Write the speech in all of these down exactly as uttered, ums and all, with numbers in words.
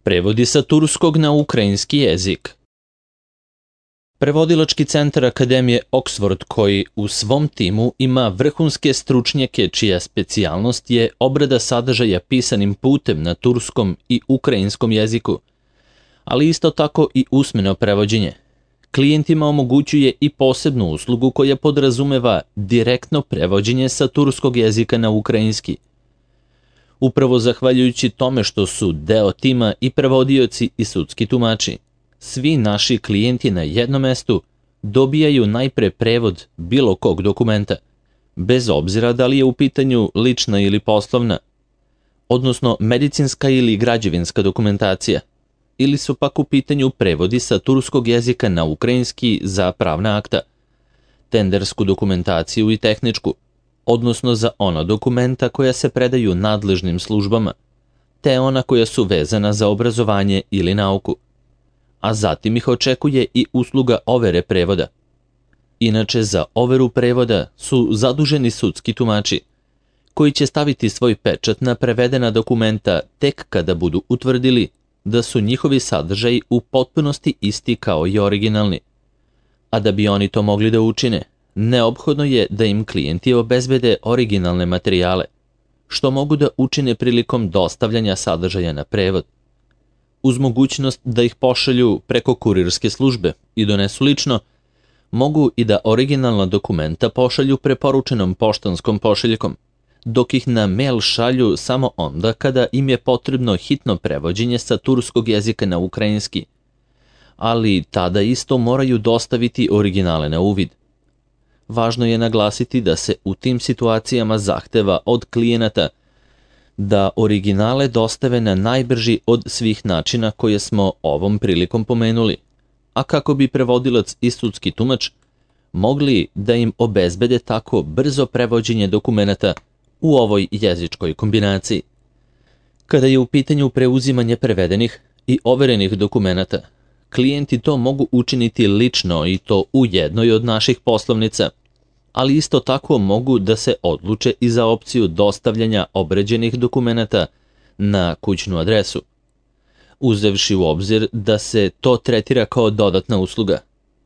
Prevodi sa turskog na ukrajinski jezik. Prevodilački centar Akademije Oxford, koji u svom timu ima vrhunske stručnjake čija specijalnost je obrada sadržaja pisanim putem na turskom i ukrajinskom jeziku, ali isto tako i usmeno prevođenje. Klijentima omogućuje i posebnu uslugu koja podrazumeva direktno prevođenje sa turskog jezika na ukrajinski. Upravo zahvaljujući tome što su deo tima i prevodioci i sudski tumači, svi naši klijenti na jednom mestu dobijaju najpre prevod bilo kog dokumenta, bez obzira da li je u pitanju lična ili poslovna, odnosno medicinska ili građevinska dokumentacija, ili su pak u pitanju prevodi sa turskog jezika na ukrajinski za pravna akta, tendersku dokumentaciju i tehničku, odnosno za ona dokumenta koja se predaju nadležnim službama, te ona koja su vezana za obrazovanje ili nauku, a zatim ih očekuje i usluga overe prevoda. Inače, za overu prevoda su zaduženi sudski tumači, koji će staviti svoj pečat na prevedena dokumenta tek kada budu utvrdili da su njihovi sadržaji u potpunosti isti kao i originalni. A da bi oni to mogli da učine, neophodno je da im klijenti obezbede originalne materijale, što mogu da učine prilikom dostavljanja sadržaja na prevod, uz mogućnost da ih pošalju preko kurirske službe i donesu lično, mogu i da originalna dokumenta pošalju preporučenom poštanskom pošiljkom, dok ih na mail šalju samo onda kada im je potrebno hitno prevođenje sa turskog jezika na ukrajinski, ali tada isto moraju dostaviti originale na uvid. Važno je naglasiti da se u tim situacijama zahteva od klijenata da originale dostave na najbrži od svih načina koje smo ovom prilikom pomenuli, a kako bi prevodilac i sudski tumač mogli da im obezbede tako brzo prevođenje dokumenata u ovoj jezičkoj kombinaciji. Kada je u pitanju preuzimanje prevedenih i overenih dokumenata, klijenti to mogu učiniti lično i to u jednoj od naših poslovnica, ali isto tako mogu da se odluče i za opciju dostavljanja obređenih dokumenata na kućnu adresu. Uzevši u obzir da se to tretira kao dodatna usluga,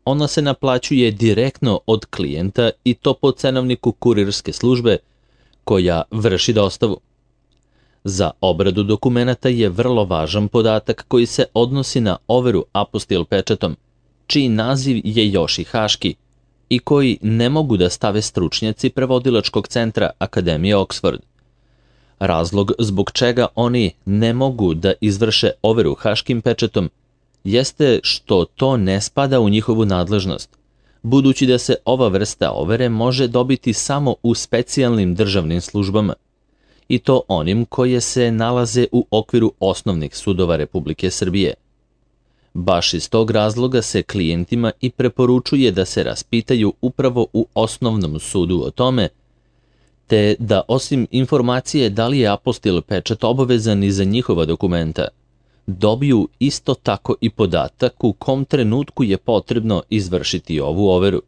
ona se naplaćuje direktno od klijenta i to po cenovniku kurirske službe koja vrši dostavu. Za obradu dokumenata je vrlo važan podatak koji se odnosi na overu apostil pečatom, čiji naziv je još i haški i koji ne mogu da stave stručnjaci prevodilačkog centra Akademije Oxford. Razlog zbog čega oni ne mogu da izvrše overu haškim pečatom jeste što to ne spada u njihovu nadležnost, budući da se ova vrsta overe može dobiti samo u specijalnim državnim službama, i to onim koje se nalaze u okviru osnovnih sudova Republike Srbije. Baš iz tog razloga se klijentima i preporučuje da se raspitaju upravo u osnovnom sudu o tome, te da osim informacije da li je apostil pečat obavezan i za njihova dokumenta, dobiju isto tako i podatak u kom trenutku je potrebno izvršiti ovu overu.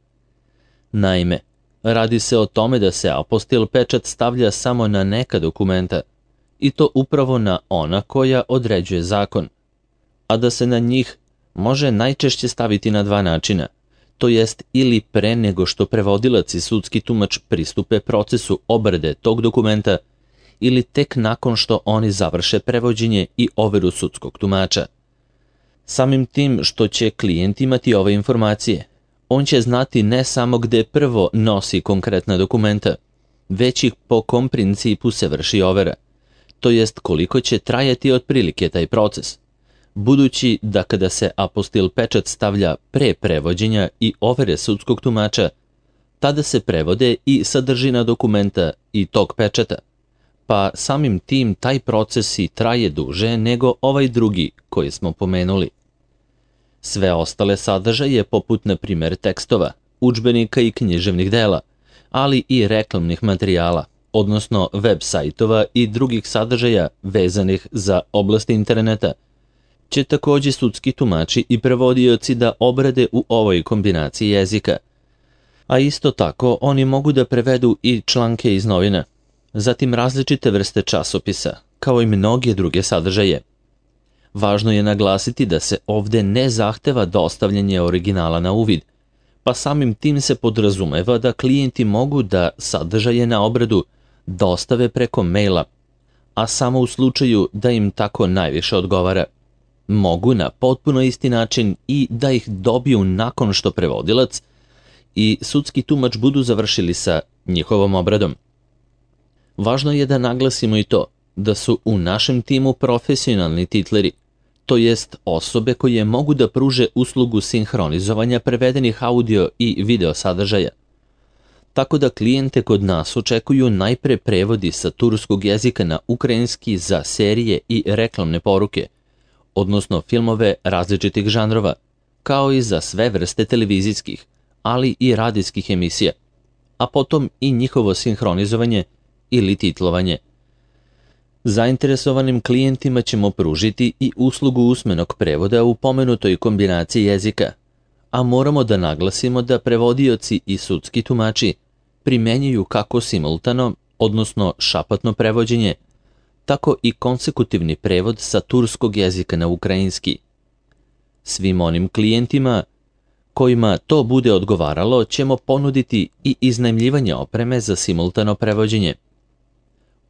Naime, radi se o tome da se apostil pečat stavlja samo na neka dokumenta, i to upravo na ona koja određuje zakon, a da se na njih može najčešće staviti na dva načina, to jest ili pre nego što prevodilac i sudski tumač pristupe procesu obrade tog dokumenta, ili tek nakon što oni završe prevođenje i overu sudskog tumača. Samim tim što će klijent imati ove informacije, on će znati ne samo gde prvo nosi konkretna dokumenta, već i po kom principu se vrši overa, to jest koliko će trajati otprilike taj proces, budući da kada se apostil pečat stavlja pre prevođenja i overe sudskog tumača, tada se prevode i sadržina dokumenta i tog pečata, pa samim tim taj proces i traje duže nego ovaj drugi koji smo pomenuli. Sve ostale sadržaje, poput na primjer tekstova, udžbenika i književnih dela, ali i reklamnih materijala, odnosno web sajtova i drugih sadržaja vezanih za oblast interneta, će također sudski tumači i prevodioci da obrade u ovoj kombinaciji jezika. A isto tako oni mogu da prevedu i članke iz novina, zatim različite vrste časopisa, kao i mnoge druge sadržaje. Važno je naglasiti da se ovde ne zahteva dostavljanje originala na uvid, pa samim tim se podrazumeva da klijenti mogu da sadržaje na obradu dostave preko maila, a samo u slučaju da im tako najviše odgovara. Mogu na potpuno isti način i da ih dobiju nakon što prevodilac i sudski tumač budu završili sa njihovom obradom. Važno je da naglasimo i to da su u našem timu profesionalni titleri, to jest osobe koje mogu da pruže uslugu sinhronizovanja prevedenih audio i video sadržaja. Tako da klijente kod nas očekuju najpre prevodi sa turskog jezika na ukrajinski za serije i reklamne poruke, odnosno filmove različitih žanrova, kao i za sve vrste televizijskih, ali i radijskih emisija, a potom i njihovo sinhronizovanje ili titlovanje. Zainteresovanim klijentima ćemo pružiti i uslugu usmenog prevoda u pomenutoj kombinaciji jezika, a moramo da naglasimo da prevodioci i sudski tumači primenjuju kako simultano, odnosno šapatno prevođenje, tako i konsekutivni prevod sa turskog jezika na ukrajinski. Svim onim klijentima kojima to bude odgovaralo ćemo ponuditi i iznajmljivanje opreme za simultano prevođenje.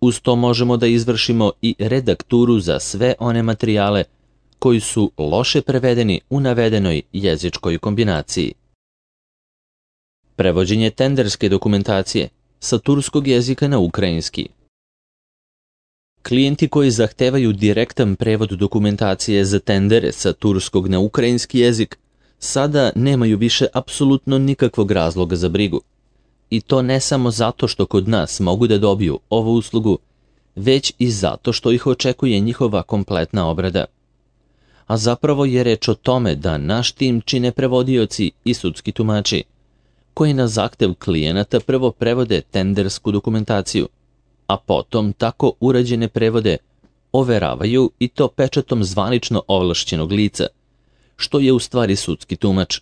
Uz to možemo da izvršimo i redakturu za sve one materijale koji su loše prevedeni u navedenoj jezičkoj kombinaciji. Prevođenje tenderske dokumentacije sa turskog jezika na ukrajinski. Klijenti koji zahtevaju direktan prevod dokumentacije za tendere sa turskog na ukrajinski jezik sada nemaju više apsolutno nikakvog razloga za brigu. I to ne samo zato što kod nas mogu da dobiju ovu uslugu, već i zato što ih očekuje njihova kompletna obrada. A zapravo je reč o tome da naš tim čine prevodioci i sudski tumači, koji na zahtev klijenata prvo prevode tendersku dokumentaciju, a potom tako urađene prevode overavaju i to pečatom zvanično ovlašćenog lica, što je u stvari sudski tumač.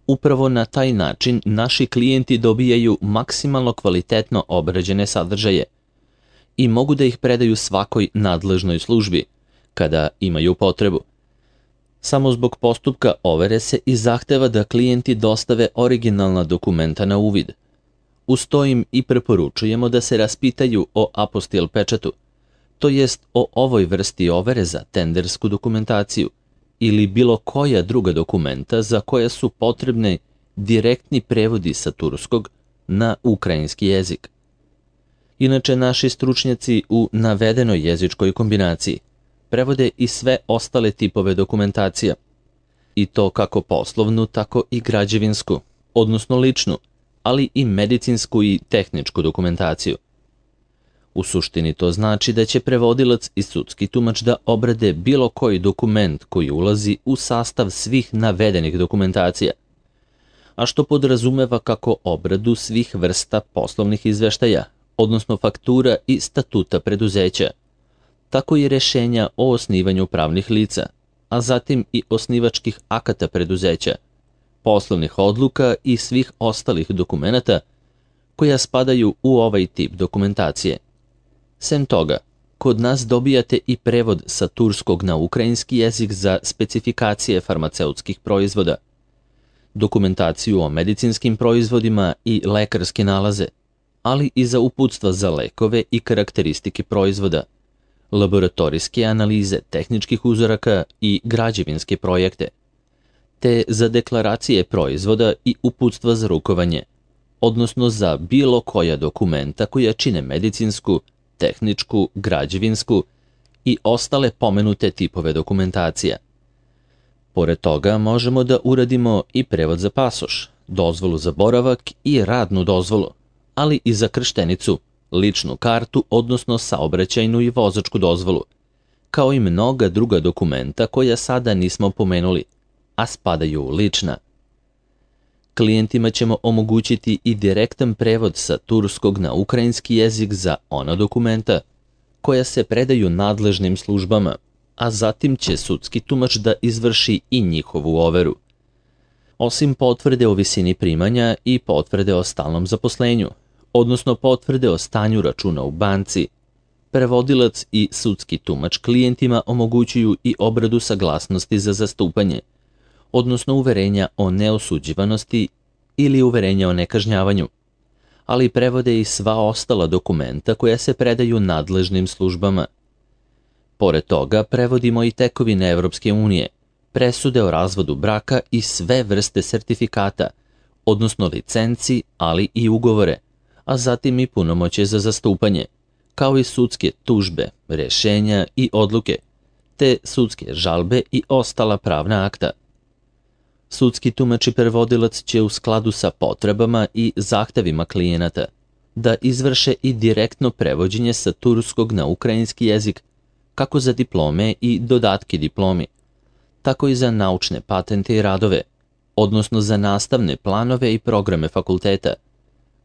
Upravo na taj način naši klijenti dobijaju maksimalno kvalitetno obrađene sadržaje i mogu da ih predaju svakoj nadležnoj službi, kada imaju potrebu. Samo zbog postupka overe se i zahteva da klijenti dostave originalna dokumenta na uvid. Uz to im i preporučujemo da se raspitaju o apostil pečatu, to jest o ovoj vrsti overe za tendersku dokumentaciju ili bilo koja druga dokumenta za koja su potrebne direktni prevodi sa turskog na ukrajinski jezik. Inače, naši stručnjaci u navedenoj jezičkoj kombinaciji prevode i sve ostale tipove dokumentacija, i to kako poslovnu, tako i građevinsku, odnosno ličnu, ali i medicinsku i tehničku dokumentaciju. U suštini to znači da će prevodilac i sudski tumač da obrade bilo koji dokument koji ulazi u sastav svih navedenih dokumentacija, a što podrazumeva kako obradu svih vrsta poslovnih izveštaja, odnosno faktura i statuta preduzeća, tako i rešenja o osnivanju pravnih lica, a zatim i osnivačkih akata preduzeća, poslovnih odluka i svih ostalih dokumenata koja spadaju u ovaj tip dokumentacije. Sem toga, kod nas dobijate i prevod sa turskog na ukrajinski jezik za specifikacije farmaceutskih proizvoda, dokumentaciju o medicinskim proizvodima i lekarske nalaze, ali i za uputstva za lekove i karakteristike proizvoda, laboratorijske analize tehničkih uzoraka i građevinske projekte, te za deklaracije proizvoda i uputstva za rukovanje, odnosno za bilo koja dokumenta koja čine medicinsku, tehničku, građevinsku i ostale pomenute tipove dokumentacija. Pored toga možemo da uradimo i prevod za pasoš, dozvolu za boravak i radnu dozvolu, ali i za krštenicu, ličnu kartu, odnosno saobraćajnu i vozačku dozvolu, kao i mnoga druga dokumenta koja sada nismo pomenuli, a spadaju u lična. Klijentima ćemo omogućiti i direktan prevod sa turskog na ukrajinski jezik za ona dokumenta koja se predaju nadležnim službama, a zatim će sudski tumač da izvrši i njihovu overu. Osim potvrde o visini primanja i potvrde o stalnom zaposlenju, odnosno potvrde o stanju računa u banci, prevodilac i sudski tumač klijentima omogućuju i obradu saglasnosti za zastupanje, odnosno uverenja o neosuđivanosti ili uverenja o nekažnjavanju, ali prevode i sva ostala dokumenta koja se predaju nadležnim službama. Pored toga, prevodimo i tekovine Evropske unije, presude o razvodu braka i sve vrste sertifikata, odnosno licenci, ali i ugovore, a zatim i punomoćje za zastupanje, kao i sudske tužbe, rješenja i odluke, te sudske žalbe i ostala pravna akta. Sudski tumač i prevodilac će u skladu sa potrebama i zahtevima klijenata da izvrše i direktno prevođenje sa turskog na ukrajinski jezik, kako za diplome i dodatke diplomi, tako i za naučne patente i radove, odnosno za nastavne planove i programe fakulteta,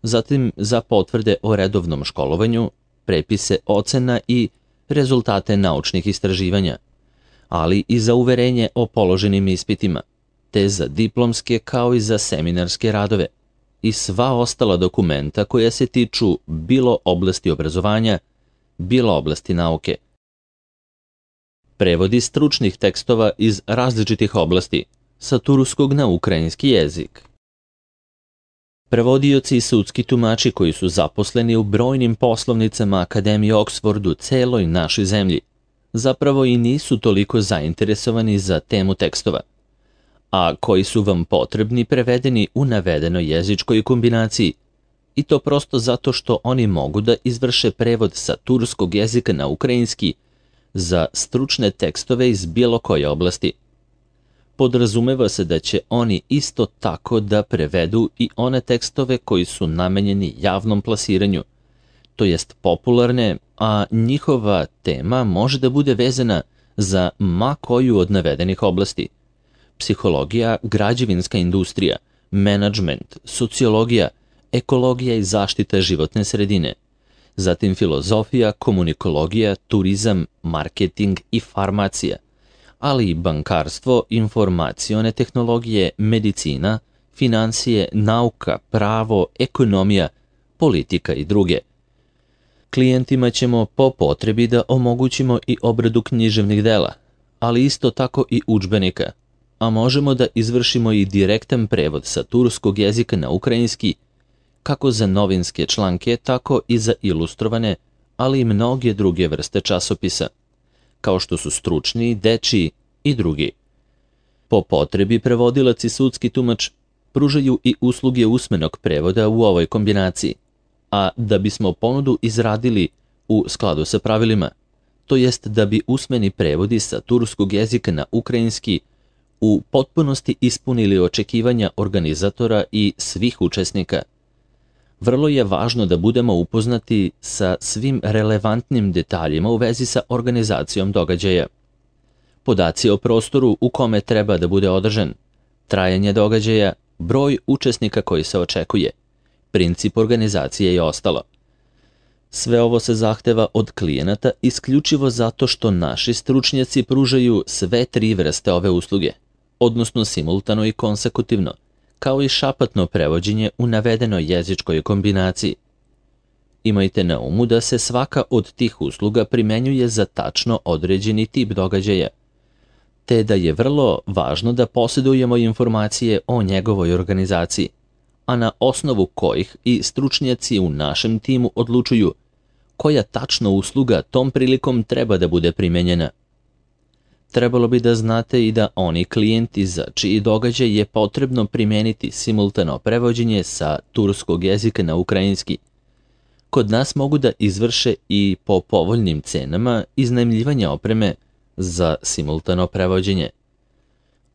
zatim za potvrde o redovnom školovanju, prepise ocena i rezultate naučnih istraživanja, ali i za uverenje o položenim ispitima, te za diplomske kao i za seminarske radove i sva ostala dokumenta koja se tiču bilo oblasti obrazovanja, bilo oblasti nauke. Prevodi stručnih tekstova iz različitih oblasti sa turskog na ukrajinski jezik. Prevodioci i sudski tumači koji su zaposleni u brojnim poslovnicama Akademije Oxford u celoj našoj zemlji zapravo i nisu toliko zainteresovani za temu tekstova, a koji su vam potrebni prevedeni u navedenoj jezičkoj kombinaciji, i to prosto zato što oni mogu da izvrše prevod sa turskog jezika na ukrajinski za stručne tekstove iz bilo koje oblasti. Podrazumeva se da će oni isto tako da prevedu i one tekstove koji su namenjeni javnom plasiranju, to jest popularne, a njihova tema može da bude vezana za ma koju od navedenih oblasti: psihologija, građevinska industrija, menadžment, sociologija, ekologija i zaštita životne sredine, zatim filozofija, komunikologija, turizam, marketing i farmacija, ali i bankarstvo, informacione tehnologije, medicina, financije, nauka, pravo, ekonomija, politika i druge. Klijentima ćemo po potrebi da omogućimo i obradu književnih dela, ali isto tako i udžbenika, a možemo da izvršimo i direktan prevod sa turskog jezika na ukrajinski, kako za novinske članke, tako i za ilustrovane, ali i mnoge druge vrste časopisa, kao što su stručni, dečiji i drugi. Po potrebi prevodilac i sudski tumač pružaju i usluge usmenog prevoda u ovoj kombinaciji, a da bismo ponudu izradili u skladu sa pravilima, to jest da bi usmeni prevodi sa turskog jezika na ukrajinski u potpunosti ispunili očekivanja organizatora i svih učesnika, vrlo je važno da budemo upoznati sa svim relevantnim detaljima u vezi sa organizacijom događaja. Podaci o prostoru u kome treba da bude održan, trajanje događaja, broj učesnika koji se očekuje, princip organizacije i ostalo. Sve ovo se zahteva od klijenata isključivo zato što naši stručnjaci pružaju sve tri vrste ove usluge, odnosno simultano i konsekutivno, kao i šapatno prevođenje u navedenoj jezičkoj kombinaciji. Imajte na umu da se svaka od tih usluga primenjuje za tačno određeni tip događaja, te da je vrlo važno da posjedujemo informacije o njegovoj organizaciji, a na osnovu kojih i stručnjaci u našem timu odlučuju koja tačno usluga tom prilikom treba da bude primenjena. Trebalo bi da znate i da oni klijenti za čiji događaj je potrebno primeniti simultano prevođenje sa turskog jezika na ukrajinski, kod nas mogu da izvrše i po povoljnim cenama iznajmljivanja opreme za simultano prevođenje.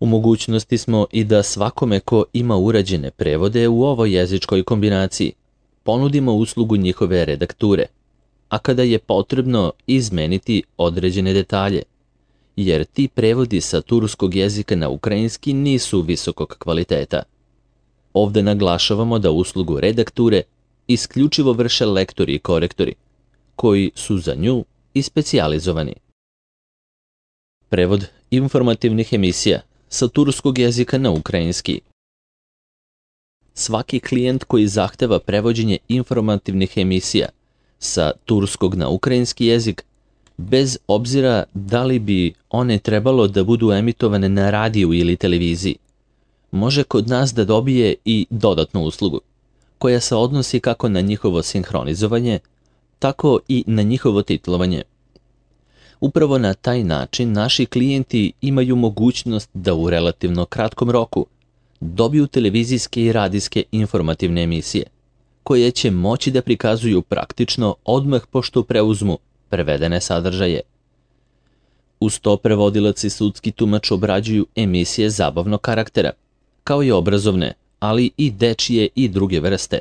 U mogućnosti smo i da svakome ko ima urađene prevode u ovoj jezičkoj kombinaciji ponudimo uslugu njihove redakture, a kada je potrebno izmeniti određene detalje, jer ti prevodi sa turskog jezika na ukrajinski nisu visokog kvaliteta. Ovde naglašavamo da uslugu redakture isključivo vrše lektori i korektori, koji su za nju i specijalizovani. Prevod informativnih emisija sa turskog jezika na ukrajinski. Svaki klijent koji zahteva prevođenje informativnih emisija sa turskog na ukrajinski jezik, bez obzira da li bi one trebalo da budu emitovane na radiju ili televiziji, može kod nas da dobije i dodatnu uslugu, koja se odnosi kako na njihovo sinhronizovanje, tako i na njihovo titlovanje. Upravo na taj način naši klijenti imaju mogućnost da u relativno kratkom roku dobiju televizijske i radijske informativne emisije, koje će moći da prikazuju praktično odmah pošto preuzmu prevedene sadržaje. Uz to prevodilac i sudski tumač obrađuju emisije zabavnog karaktera, kao i obrazovne, ali i dečije i druge vrste,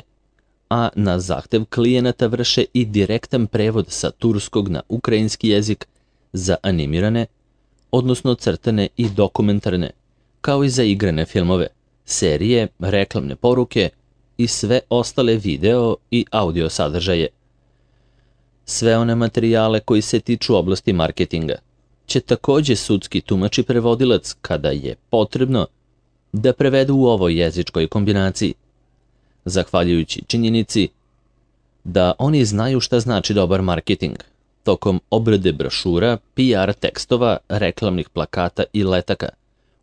a na zahtev klijenata vrše i direktan prevod sa turskog na ukrajinski jezik za animirane, odnosno crtane i dokumentarne, kao i za igrane filmove, serije, reklamne poruke i sve ostale video i audio sadržaje. Sve one materijale koji se tiču oblasti marketinga će takođe sudski tumač i prevodilac, kada je potrebno, da prevedu u ovoj jezičkoj kombinaciji, zahvaljujući činjenici da oni znaju šta znači dobar marketing tokom obrade brošura, P R tekstova, reklamnih plakata i letaka,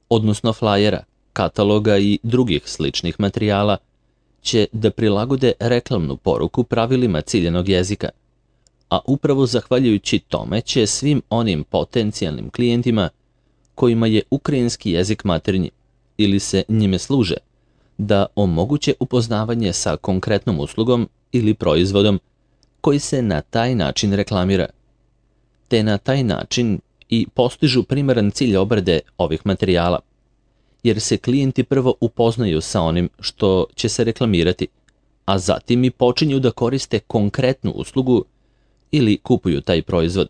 odnosno flajera, kataloga i drugih sličnih materijala, će da prilagode reklamnu poruku pravilima ciljanog jezika, a upravo zahvaljujući tome će svim onim potencijalnim klijentima kojima je ukrajinski jezik maternji ili se njime služe, da omoguće upoznavanje sa konkretnom uslugom ili proizvodom koji se na taj način reklamira, te na taj način i postižu primaran cilj obrade ovih materijala, jer se klijenti prvo upoznaju sa onim što će se reklamirati, a zatim i počinju da koriste konkretnu uslugu ili kupuju taj proizvod.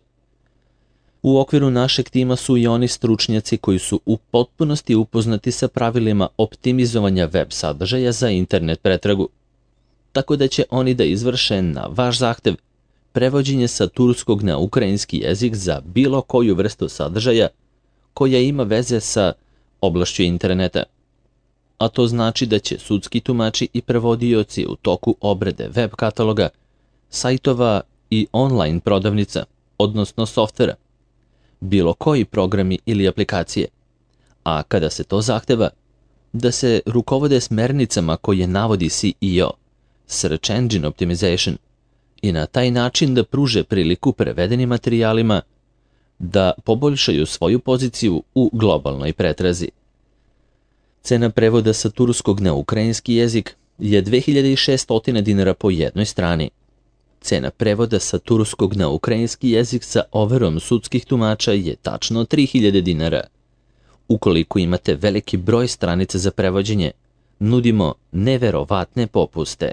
U okviru našeg tima su i oni stručnjaci koji su u potpunosti upoznati sa pravilima optimizovanja web sadržaja za internet pretragu, tako da će oni da izvrše na vaš zahtev prevođenje sa turskog na ukrajinski jezik za bilo koju vrstu sadržaja koja ima veze sa oblašću interneta. A to znači da će sudski tumači i prevodioci u toku obrade web kataloga, sajtova i online prodavnica, odnosno softvera, bilo koji programi ili aplikacije, a kada se to zahteva, da se rukovode smernicama koje navodi C E O, Search Engine Optimization, i na taj način da pruže priliku prevedenim materijalima da poboljšaju svoju poziciju u globalnoj pretrazi. Cena prevoda sa turskog na ukrajinski jezik je dve hiljade šessto dinara po jednoj strani. Cena prevoda sa turskog na ukrajinski jezik sa overom sudskih tumača je tačno tri hiljade dinara. Ukoliko imate veliki broj stranica za prevođenje, nudimo neverovatne popuste.